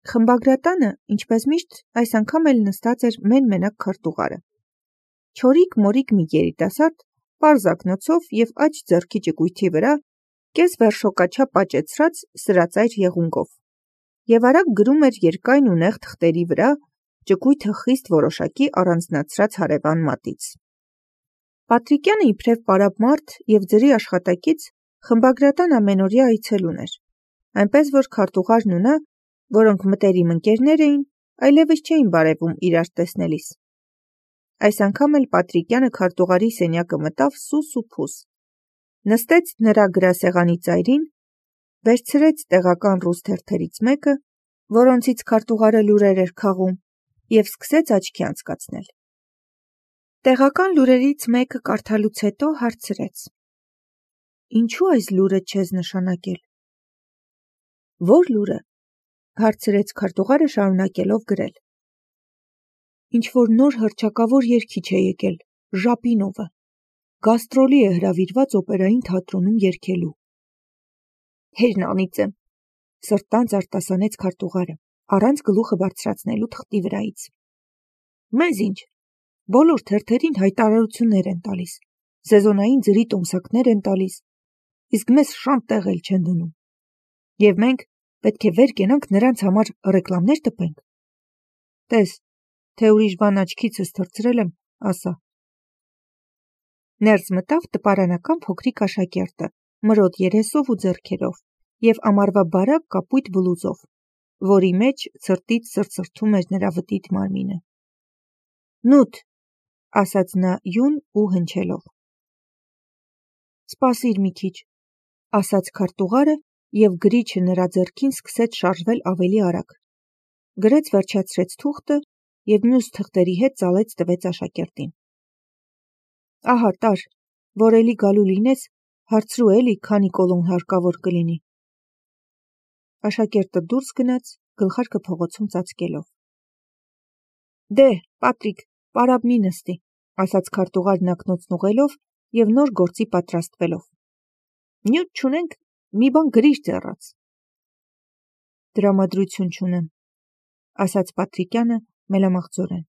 Խմբագրատանը, ինչպես միշտ, այս անգամ էլ նստած էր մեն-մենակ քարտուղարը։ Չորիկ-մորիկ մի երիտասարդ, պարզ ակնոցով և աջ ձեռքի ճկույթի վրա, կես վերշոկաչափ աճեցրած սրածայր եղունգով, և արագ գրում էր երկայն ու նեղ թղթերի վրա, ճկույթը խիստ որոշակի առանձնացրած հարևան մատից։ Պատրիկյանը իբրև պարապ մարդ և ձրի աշխատակից խմբագրատան ամենօրյա այցելուն էր, այնպես որ քարտուղարն ու նա, որոնք մտերիմ ընկերներ էին, այլևս չէին բարևում իրար տեսնելիս։ Այս անգամ էլ Պատրիկյանը քարտուղարի սենյակը մտավ սուս ու փուս, նստեց նրա գրասեղանի ծայրին, վերցրեց տեղական ռուս թերթերից մեկը, որոնցից քարտուղարը լուրեր էր քաղում, և սկսեց աչքի անցկացնել։ Տեղական լուրերից մեկը կարդալուց հետո հարցրեց. «Ինչու այս լուրը չես նշանակել»։ «Ո՞ր լուրը»։ Հարցրեց քարտուղարը շարունակելով գրել. «Ինչ-որ նոր հռչակավոր երգիչ է եկել, Ժապինովը, գաստրոլի է հրավիրված օպերային թատրոնում երգելու»։ «Հերն անիծեմ», սրտանց արտասանեց քարտուղարը, առանց գլուխը բարձրացնելու թղթի վրայից։ «Մեզ ինչ, բոլոր թերթերին հայտարարություններ են տալիս, սեզոնային ձրի տոմսակներ են տալիս, իսկ մեզ շան տեղ էլ չեն դնում։ Եվ մենք պետք է վեր կենանք նրանց համար ռեկլամներ տպենք։ Տես, թե ուրիշ բան աչքիցս թռցրել եմ, ասա»։ Ներս մտավ տպարանական փոքրիկ աշակերտը, մրոտ երեսով ու ձեռքերով, և ամառվա բարակ կապույտ բլուզով, որի մեջ ցրտից սրծրթում էր նրա վտիտ մարմինը։ «Նուտ», ասաց նա յուն ու հնչելով։ «Սպասիր մի քիչ», ասաց քարտուղարը, և գրիչը նրա ձեռքին սկսեց շարժվել ավելի արագ։ Գրեց վերջացրեց թուղթը և մյուս թղթերի հետ ծալեց տվեց աշակերտին։ «Ահա տար, որ էլի գալու լինես, հարցրու էլի, քանի կոլոն հարկավոր կլինի»։ Աշակերտը դուրս գնաց, գլխարկը փողոցում ծածկելով։ «Դե, Պատրիկ, պարապ մի նստի», ասաց քարտուղարն ակնոցն ուղղելով և նոր գործի պատրաստվելով։ «Նյութ չունենք, մի բան գրիր ձեռաց»։ «Տրամադրություն չունեմ», ասաց Պատրիկյանը մելամաղձորեն։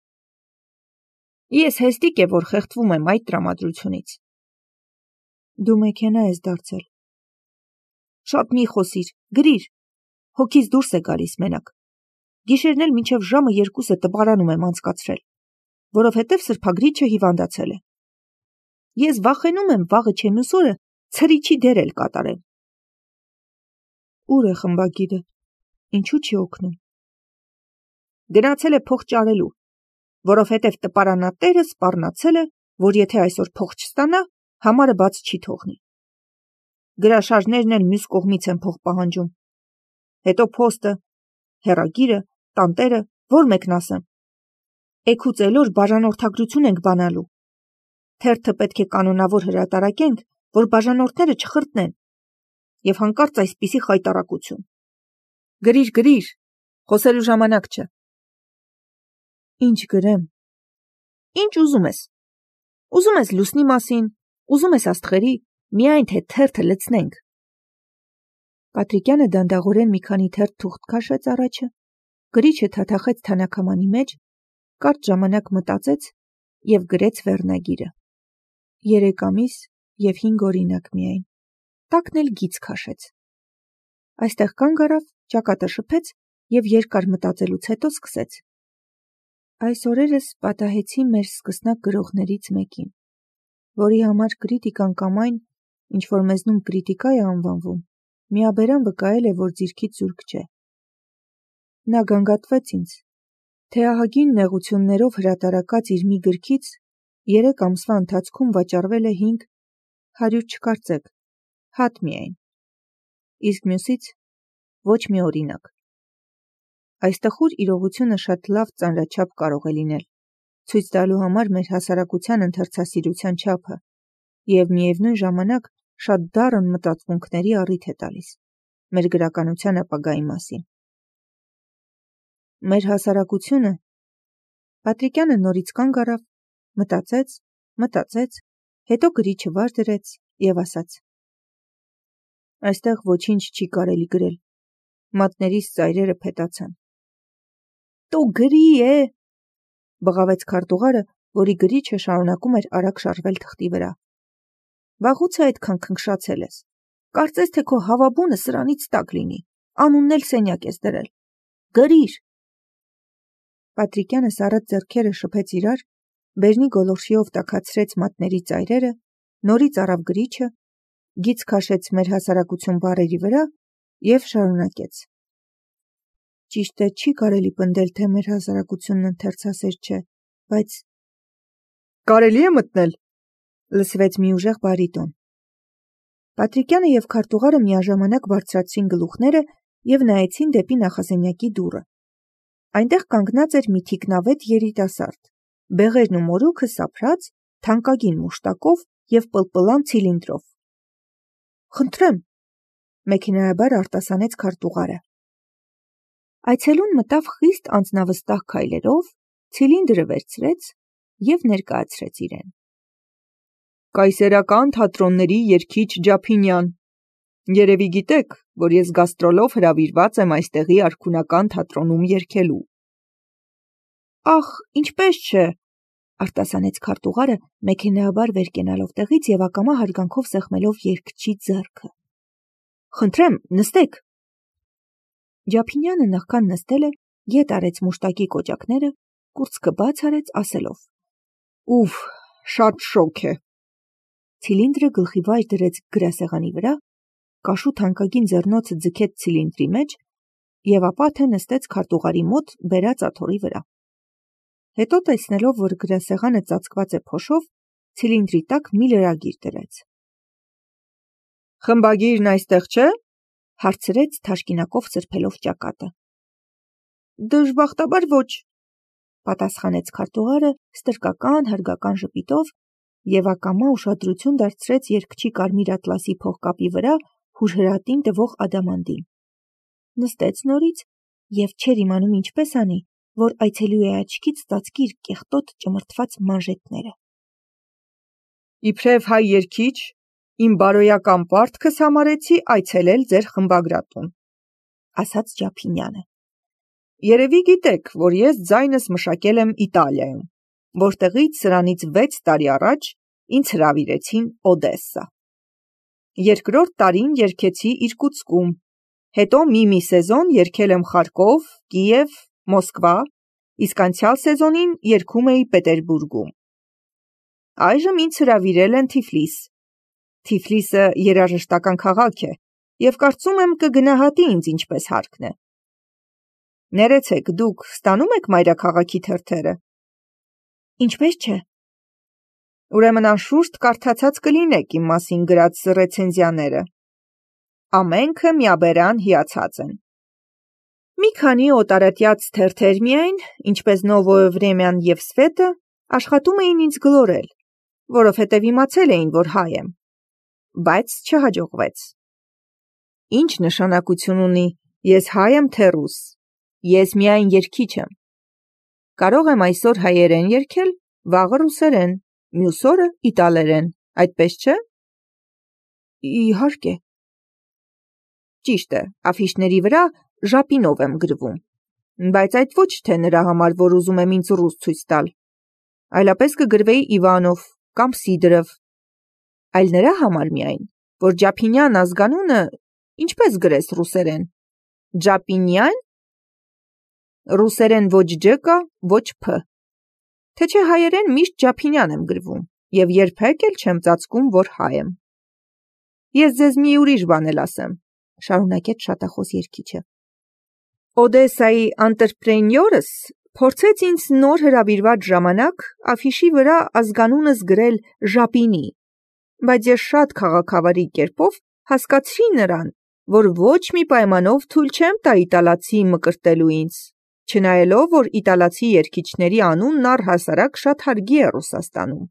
«Ես հեստիկ է, որ խեղդվում եմ այդ տրամադրությունից»։ «Դու մեքենա ես դարձել»։ «Շատ մի խոսիր, գրիր, հոգիս դուրս է գալիս մենակ։ Գիշերն էլ մինչև ժամը 2-ը տպարանում եմ անցկացրել, որովհետև սրբագրիչը հիվանդացել է։ Ես վախենում եմ վաղը չէ մյուս օրը ցրիչի դեր էլ կատարեմ»։ «Ուր է խմբագիրը, ինչու չի օգնում»։ «Գնացել է փող ճարելու, որովհետև տպարանատերը սպառնացել է, որ եթե այսօր փող չստանա, համարը բաց չի թողնի։ Գրաշարժներն էլ մյուս կողմից են փող պահանջում։ Հետո փոստը, հեռագիրը, տանտերը, որ մեկն ասեմ։ Էգուց էլոր բաժանորդագրություն ենք բանալու։ Թերթը պետք է կանոնավոր հրատարակենք, որ բաժանորդները չխրտնեն։ Եվ հանկարծ այսպիսի խայտառակություն։ Գրիր, գրիր, խոսելու ժամանակ չէ։ «Ինչ գրեմ»։ «Ինչ ուզում ես։ Ուզում ես լուսնի մասին, ուզում ես աստղերի, միայն թե թերթը լցնենք»։ Պատրիկյանը դանդաղորեն մի քանի թերթ թուղթ քաշեց առաջը, գրիչը թաթախեց թանաքամանի մեջ, կարճ ժամանակ մտածեց և գրեց վերնագիրը։ 3 ամիս և 5 օրինակ միայն, տակն էլ գիծ քաշեց։ Այստեղ կանգ առավ, ճակատը շփեց և երկար մտածելուց հետո սկսեց. «Այս օրերս պատահեցի մեր սկսնակ գրողներից մեկին, որի համար կրիտիկան կամ այն, ինչ որ մեզնում կրիտիկա է անվանվում, միաբերան վկայել է, որ ձիրքից զուրկ չէ։ Նա գանգատվեց ինձ, թե ահագին նեղություններով հրատարակած իր մի գրքից 3 ամսվա ընթացքում վաճառվել է 100 չկարծեք, հատ միայն, իսկ մյուսից ոչ մի օրինակ։ Այս տխուր իրողությունը շատ լավ ծանրաչափ կարող է լինել, ցույց տալու համար մեր հասարակության ընթերցասիրության չափը և միևնույն ժամանակ շատ դառն մտածմունքների առիթ է տալիս մեր գրականության ապագայի մասին։ Մեր հասարակությունը։ Պատրիկյանը նորից կանգ առավ, մտածեց, հետո գրիչը վար դրեց և ասաց. «Այստեղ ոչինչ չի կարելի գրել, մատներիս ծայրերը փետացան, տո գրի է, բղավեց քարտուղարը, որի գրիչը շարունակում էր արագ շարժվել թղթի վրա։ Վաղուց է այդքան քնքշացել ես։ Կարծես թե քո հավաբունը սրանից տակ լինի, անունն էլ սենյակ ես դրել։ Գրիր։ Պատրիկյանը սառած ձեռքերը շփեց իրար, բերնի գոլորշիով տաքացրեց մատների ծայրերը, նորից առավ գրիչը, գիծ քաշեց մեր հասարակություն բառերի վրա և շարունակեց. Ճիշտ է, չի կարելի պնդել, թե մեր հասարակությունն ընթերցասեր չէ, բայց կարելի է մտնել, լսվեց մի ուժեղ բարիտոն։ Պատրիկյանը և քարտուղարը միաժամանակ բարձրացրին գլուխները և նայեցին դեպի նախասենյակի դուռը։ Այնտեղ կանգնած էր մի թիկնավետ երիտասարդ, բեղերն ու մորուքը սափրած, թանկագին մուշտակով և պլպլան ցիլինդրով։ Խնդրեմ, մեքենայաբար արտասանեց քարտուղարը։ Այցելուն մտավ խիստ անձնավստահ քայլերով, ցիլինդրը վերցրեց և ներկայացրեց իրեն։ Կայսերական թատրոնների երգիչ Ջափինյան։ Երևի գիտեք, որ ես գաստրոլով հրավիրված եմ այստեղի արքունական թատրոնում երգելու։ Ախ, ինչպես չէ, արտասանեց քարտուղարը, մեքենայաբար վեր կենալով տեղից և ակամա հարգանքով սեղմելով երգչի ձեռքը։ Խնդրեմ, նստեք։ Ջափինյանը նախքան նստելը ետ արեց մուշտակի կոճակները, կուրծքը բաց արեց, ասելով. Ուֆ, շատ շոգ է։ Ցիլինդրը գլխի վայր դրեց գրասեղանի վրա, կաշու թանկագին ձեռնոցը ձգեց ցիլինդրի մեջ և ապա թե նստեց քարտուղարի մոտ բերած աթոռի վրա։ Հետո տեսնելով, որ գրասեղանը ծածկված է փոշով, ցիլինդրի տակ մի լրագիր դրեց։ Խմբագիրն այստեղ չէ, հարցրեց թաշկինակով սրբելով ճակատը։ Դժբախտաբար ոչ, պատասխանեց քարտուղարը ստրկական հարգական ժպիտով և ակամա ուշադրություն դարձրեց երգչի կարմիր ատլասի փողկապի վրա հուրհրատին տվող ադամանդին։ Նստեց նորից և չէր իմանում ինչպես անի, որ այցելուի աչքից ծածկի իր կեղտոտ ճմրթված մանժետները։ Իբրև հայ երգիչ, իմ բարոյական պարտքս համարեցի այցելել ձեր խմբագրատուն, ասաց Ջափինյանը։ Երևի գիտեք, որ ես ձայնս մշակել եմ Իտալիայում, որտեղից սրանից 6 տարի առաջ ինձ հրավիրեցին Օդեսա։ Երկրորդ տարին երգեցի Իրկուտսկում, հետո մի սեզոն երգել եմ Խարկով, Կիև, Մոսկվա, իսկ անցյալ սեզոնին երգում էի Պետերբուրգում։ Այժմ ինձ հրավիրել են Թիֆլիս։ Թիֆլիսը երաժշտական քաղաք է և կարծում եմ կգնահատի ինձ ինչպես հարկն է։ Ներեցեք, դուք ստանում եք մայրաքաղաքի թերթերը։ Ինչպես չէ։ Ուրեմն անշուշտ կարդացած կլինեք իմ մասին գրած ռեցենզիաները։ Ամենքը միաբերան հիացած են։ Մի քանի օտարատյաց թերթեր միայն, ինչպես Նովոյե Վրեմյան և Սվետը, աշխատում էին ինձ գլորել, որովհետև իմացել էին, որ հայ եմ, բայց չհաջողվեց։ Ինչ նշանակություն ունի, ես հայ եմ թե ռուս, ես միայն երգիչ եմ։ Կարող եմ այսօր հայերեն երգել, վաղը ռուսերեն, մյուս օրը իտալերեն, այդպես չէ։ Իհարկե։ Ճիշտ է, աֆիշների վրա Ժապինով եմ գրվում, բայց այդ ոչ թե նրա համար, որ ուզում եմ ինձ ռուս ցույց տալ, այլապես կգրվեի Իվանով կամ Սիդրով, այլ նրա համար միայն, որ Ջափինյան ազգանունը ինչպես գրես ռուսերեն։ Ջապինյան։ Ռուսերեն ոչ ջ կա, ոչ փ։ Թե չէ հայերեն միշտ Ջափինյան եմ գրվում և երբեք էլ չեմ ծածկում, որ հայ եմ։ Ես ձեզ մի ուրիշ բան էլ ասեմ, շարունակեց շատախոս երգիչը։ Օդեսայի անտրպրենյորս փորձեց ինձ նոր հրավիրված ժամանակ աֆիշի վրա ազգանունս գրել Ժապինի, բայց ես շատ քաղաքավարի կերպով հասկացրի նրան, որ ոչ մի պայմանով թույլ չեմ տա իտալացի մկրտելու ինձ, չնայելով, որ իտալացի երգիչների անունն առհասարակ շատ հարգի է Ռուսաստանում։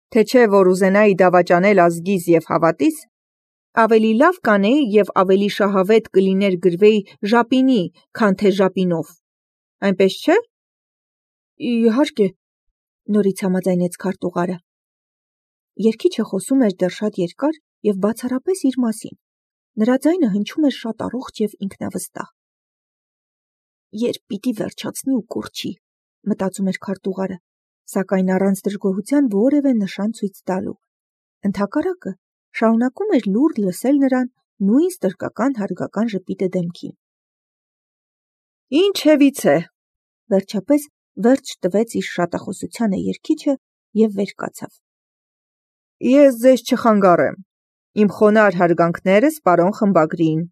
Թե չէ, որ ուզենայի դավաճանել ազգիս և հավատիս, ավելի լավ կանեի և ավելի շահավետ կլիներ գրվեի Ժապինի, քան թե Ժապինով։ Այնպես չէ։ Իհարկե, նորից համաձայնեց քարտուղարը։ Երգիչը խոսում էր դեռ շատ երկար և բացառապես իր մասին։ Նրա ձայնը հնչում էր շատ առողջ և ինքնավստահ։ երբ պիտի վերջացնի ու կորչի, մտածում էր քարտուղարը, սակայն առանց դժգոհության որևէ նշան ցույց տալու։ Ընդհակառակը, շարունակում էր լուռ լսել նրան նույն ստրկական հարգական ժպիտը դեմքին։ Ինչևից է, վերջապես վերջ տվեց իր շատախոսությանը երգիչը և վեր կացավ։ Ես ձեզ չխանգարեմ, իմ խոնարհ հարգանքներս պարոն խմբագրին։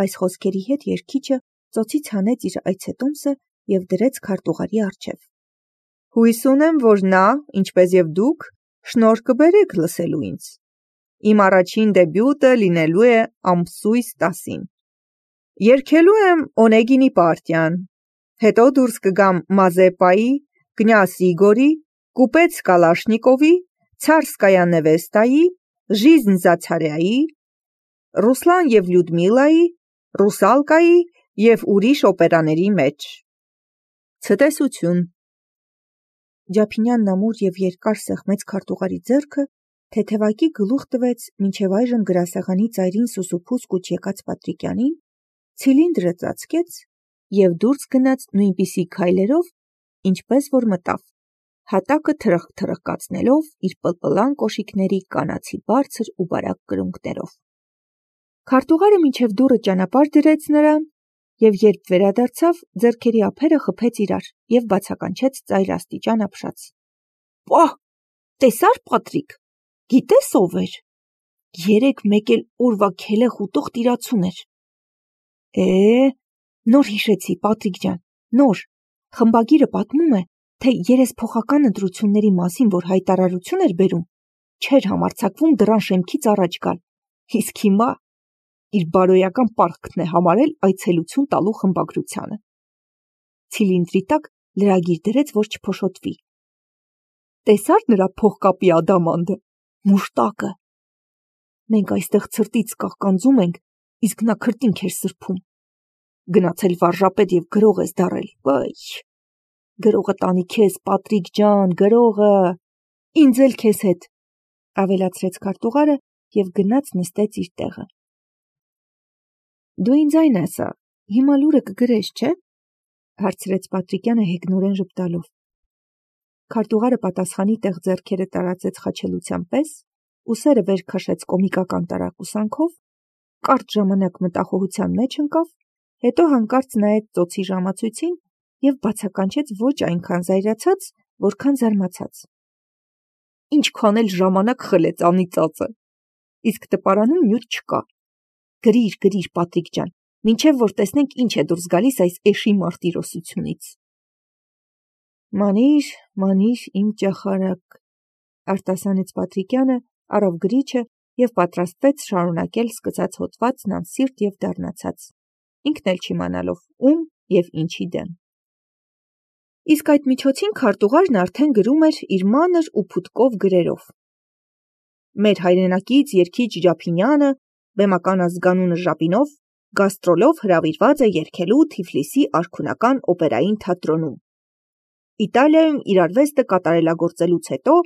Այս խոսքերի հետ երգիչը ծոցից հանեց իր այցետոմսը և դրեց քարտուղարի առջև։ Հույս ունեմ, որ նա, ինչպես և դուք, շնորհ կբերեք լսելու ինձ։ Իմ առաջին դեբյուտը լինելու է ամսույս 10-ին։ Երգելու եմ Օնեգինի պարտիան, հետո դուրս կգամ Մազեպայի, կնյազ Իգորի, կուպեծ Կալաշնիկովի, Ցարսկայա Նևեստայի, Ժիզն Զացարյայի, Ռուսլան և Լյուդմիլայի, Ռուսալկայի և ուրիշ օպերաների մեջ։ Ցտեսություն։ Ջափինյանն ամուր և երկար սեղմեց քարտուղարի ձեռքը, թեթևակի գլուխ տվեց մինչև այժմ գրասեղանի ծայրին սուսուփուս կուչ եկած Պատրիկյանին, ցիլինդրը ծածկեց և դուրս գնաց նույնպիսի քայլերով, ինչպես որ մտավ, հատակը թրխկացնելով իր պլպլան կոշիկների կանացի բարձր ու բարակ կրունկներով։ Քարտուղարը մինչև դուռը ճանապարհ դրեց նրան, և երբ վերադարձավ, ձեռքերի ափերը խփեց իրար և բացականչեց ծայր աստիճան ապշած։ Պահ, տեսա՞ր, Պատրիկ, գիտես ով էր։ 3-1 էլ օրվա քելեղ ուտող տիրացուն էր։ Նոր հիշեցի, Պատրիկ ջան, նոր։ Խմբագիրը պատմում է, թե երեսփոխական ընտրությունների մասին, որ հայտարարություն էր բերում, չէր համարձակվում դռան շեմքից առաջ գալ, իսկ հիմա իր բարոյական պարտքն է համարել այցելություն տալու խմբագրությանը։ Ցիլինդրի տակ լրագիր դրեց, որ չփոշոտվի։ Տեսա՞ր նրա փողկապի ադամանդը, մուշտակը։ Մենք այստեղ ցրտից կաղկանձում ենք, իսկ նա քրտինք էր սրբում։ Գնացել վարժապետ և գրող ես դառել, վայ։ Գրողը տանի քեզ, Պատրիկ ջան, գրողը։ Ինձ էլ քեզ հետ, ավելացրեց քարտուղարը և գնաց նստեց իր տեղը։ Դու ինձ այն ասա, հիմա լուրը կգրես, չէ՞, հարցրեց Պատրիկյանը հեգնորեն ժպտալով։ Քարտուղարը պատասխանի տեղ ձեռքերը տարածեց խաչելության պես, ուսերը վեր քաշեց կոմիկական տարակուսանքով, կարճ ժամանակ մտախոհության մեջ ընկավ, հետո հանկարծ նայեց ծոցի ժամացույցին և բացականչեց ոչ այնքան զայրացած, որքան զարմացած։ Ինչքան էլ ժամանակ խլեց անիծածը, իսկ տպարանում նյութ չկա։ Գրիր, Պատրիկ ջան, մինչև որ տեսնենք ինչ է դուրս գալիս այս էշի մարտիրոսությունից։ Մանիր, իմ ճախարակ, արտասանեց Պատրիկյանը, առավ գրիչը և պատրաստվեց շարունակել սկսած հոդվածն անսիրտ և դառնացած, ինքն էլ չիմանալով ում և ինչի դեմ։ Իսկ այդ միջոցին քարտուղարն արդեն գրում էր իր մանր ու փուտկով գրերով։ Մեր հայրենակից երգիչ Ջափինյանը, բեմական ազգանունը Ժապինով, գաստրոլով հրավիրված է երգելու Թիֆլիսի արքունական օպերային թատրոնում։ Իտալիայում իր արվեստը կատարելագործելուց հետո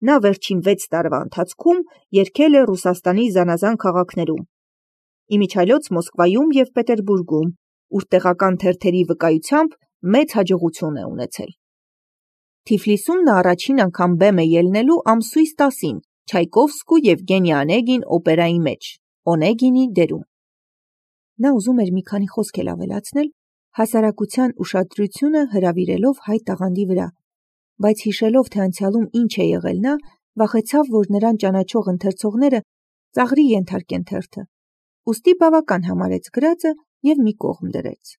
նա վերջին 6 տարվա ընթացքում երգել է Ռուսաստանի զանազան քաղաքներում, իմիջիայլոց Մոսկվայում և Պետերբուրգում, ուր տեղական թերթերի վկայությամբ մեծ հաջողություն է ունեցել։ Թիֆլիսում նա առաջին անգամ բեմ է ելնելու ամսույս 10-ին Չայկովսկու Եվգենի Օնեգին օպերայի մեջ, Օնեգինի դերում։ Նա ուզում էր մի քանի խոսք էլ ավելացնել, հասարակության ուշադրությունը հրավիրելով հայ տաղանդի վրա, բայց հիշելով, թե անցյալում ինչ է եղել նա, վախեցավ, որ նրան ճանաչող ընթերցողները ծաղրի ենթարկեն թերթը, ուստի բավական համարեց գրածը և մի կողմ դրեց։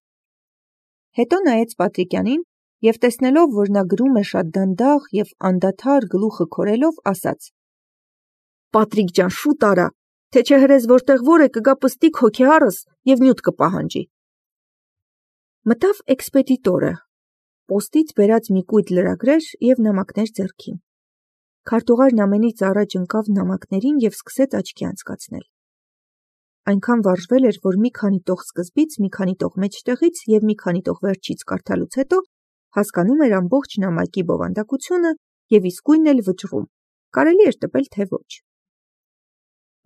Հետո նայեց Պատրիկյանին և տեսնելով, որ նա գրում է շատ դանդաղ և անդադար գլուխը քորելով, ասաց. Պատրիկ ջան, շուտ արա, թե չէ հրես որտեղ որ է կգա պստիկ հոգեհարս և նյութ կպահանջի։ Մտավ էքսպեդիտորը, պոստից բերած մի կույտ լրագրեր և նամակներ ձեռքին։ Քարտուղարն ամենից առաջ ընկավ նամակներին և սկսեց աչքի անցկացնել։ Այնքան վարժվել էր, որ մի քանի տող սկզբից, մի քանի տող մեջտեղից և մի քանի տող վերջից կարդալուց հետո հասկանում էր ամբողջ նամակի բովանդակությունը և իսկույն էլ վճռում, կարելի էր տպել, թե ոչ։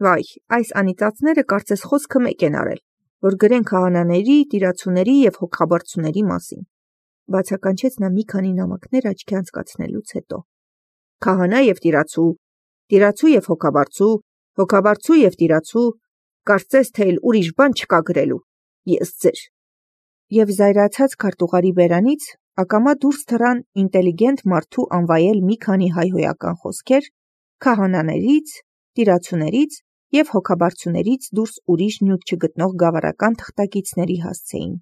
Վայ, այս անիծածները կարծես խոսքը մեկ են արել, որ գրեն քահանաների, տիրացուների և հոգաբարձուների մասին, բացականչեց նա մի քանի նամակներ աչքի անցկացնելուց հետո։ Քահանա և տիրացու, տիրացու և հոգաբարձու, հոգաբարձու և տիրացու, կարծես թե էլ ուրիշ բան չկա գրելու, ես ձեր։ Եվ զայրացած քարտուղարի բերանից ակամա դուրս թռան ինտելիգենտ մարդու անվայել մի քանի հայհոյական խոսքեր, քահանաներից, տիրացուներից և հոգաբարձուներից դուրս ուրիշ նյութ չգտնող գավառական թղթակիցների հասցեին։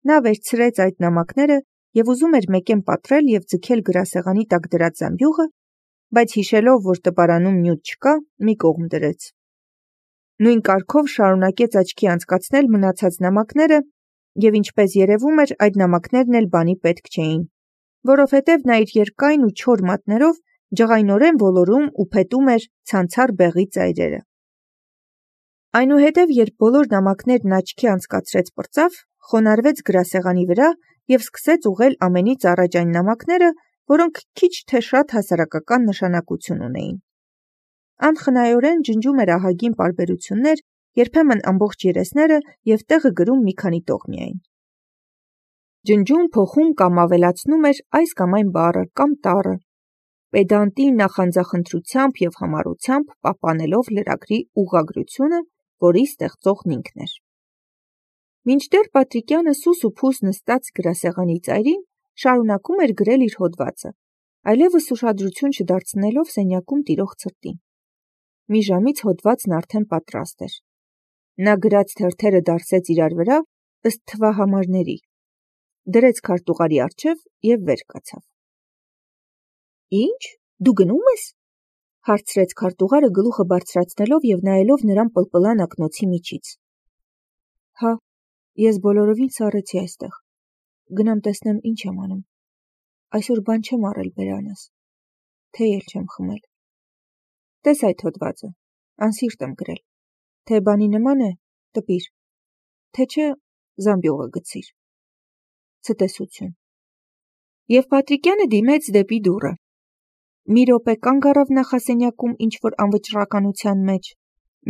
Նա վերցրեց այդ նամակները և ուզում էր մեկեն պատռել և ձգել գրասեղանի տակ դրած զամբյուղը, բայց հիշելով, որ տպարանում նյութ չկա, մի կողմ դրեց։ Նույն կարգով շարունակեց աչքի անցկացնել մնացած նամակները, և ինչպես երևում էր, այդ նամակներն էլ բանի պետք չէին, որովհետև նա իր երկայն ու չոր մատներով ջղայնորեն ոլորում ու փետում էր ցանցառ բեղի ծայրերը։ Այնուհետև, երբ բոլոր նամակներն աչքի անցկացրեց պրծավ, խոնարհվեց գրասեղանի վրա և սկսեց ուղղել ամենից առաջ այն նամակները, որոնք քիչ թե շատ հասարակական նշանակություն ունեին։ Անխնայորեն ջնջում էր ահագին պարբերություններ, երբեմն ամբողջ երեսները և տեղը գրում մի քանի տող միայն։ Ջնջում, փոխում կամ ավելացնում էր այս կամ այն բառը կամ տառը, պեդանտի նախանձախնդրությամբ և համառությամբ պահպանելով լրագրի ուղղագրությունը, որի ստեղծողն ինքն էր։ Մինչդեռ Պատրիկյանը սուս ու փուս նստած գրասեղանի ծայրին շարունակում էր գրել իր հոդվածը, այլևս ուշադրություն չդարձնելով սենյակում տիրող ցրտին։ Մի ժամից հոդվածն արդեն պատրաստ էր։ Նա գրած թերթերը դարսեց իրար վրա ըստ թվահամարների, դրեց քարտուղարի առջև և վեր կացավ։ Ինչ, դու գնում ես, հարցրեց քարտուղարը գլուխը բարձրացնելով և նայելով նրան պլպլան ակնոցի միջից։ Հա, ես բոլորովին սառեցի այստեղ, գնամ տեսնեմ ինչ եմ անում, այսօր բան չեմ առել բերանս, թեյ էլ չեմ խմել։ Տես այդ հոդվածը, անսիրտ եմ գրել, թե բանի նման է, տպիր, թե չէ, զամբյուղը գցիր։ Ցտեսություն։ Եվ Պատրիկյանը դիմեց դեպի դուռը։ Մի րոպե կանգ առավ նախասենյակում ինչ-որ անվճռականության մեջ,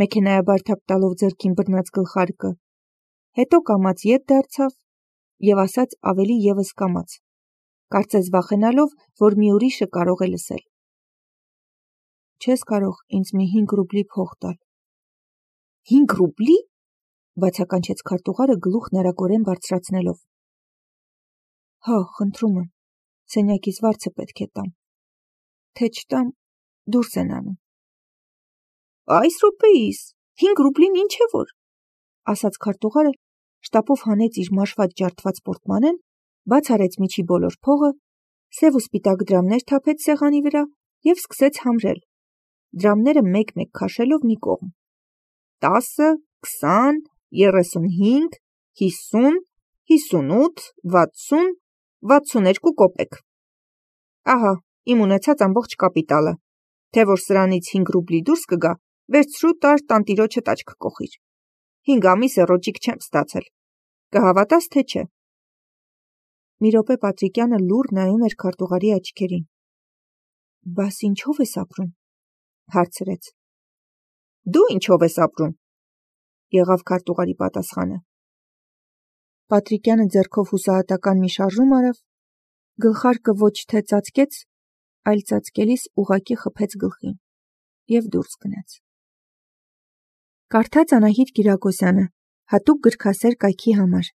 մեքենայաբար թափ տալով ձեռքին բռնած գլխարկը, հետո կամաց ետ դարձավ և ասաց ավելի ևս կամաց, կարծես վախենալով, որ մի ուրիշը կարող է լսել. Չես կարող ինձ մի 5 ռուբլի փող տալ։ 5 ռուբլի, բացականչեց քարտուղարը գլուխն արագորեն բարձրացնելով։ Հա, խնդրում եմ, սենյակից վարձը պետք է տամ, թե չտամ, դուրս են անում։ Այս րոպեիս 5 ռուբլին ինչ է որ, ասաց քարտուղարը, շտապով հանեց իր մաշված ջարդված պորտմանեն, բաց արեց միջի բոլոր փողը, սև ու սպիտակ դրամներ թափեց սեղանի վրա և սկսեց համրել, դրամները մեկ-մեկ քաշելով մի կողմ։ 10, 20, 35, 50, 58, 60, 62 կոպեկ։ Ահա, իմ ունեցած ամբողջ կապիտալը, թե որ սրանից 5 ռուբլի դուրս կգա, վերցրու տար տանտիրոջդ աչք կոխիր։ 5 ամիս է ռոճիկ չեմ ստացել, կհավատաս թե չէ։ Մի րոպե Պատրիկյանը լուռ նայում էր քարտուղարի աչքերին։ Բաս ինչով ես ապրում, հարցրեց։ Դու ինչով ես ապրում, եղավ քարտուղարի պատասխանը։ Պատրիկյանը ձեռքով հուսահատական մի շարժում արավ, գլխարկը ոչ թե ծածկեց, այլ ծածկելիս ուղղակի խփեց գլխին և դուրս գնաց։ Կարդաց Անահիտ Կիրակոսյանը, հատուկ գրքասեր կայքի համար։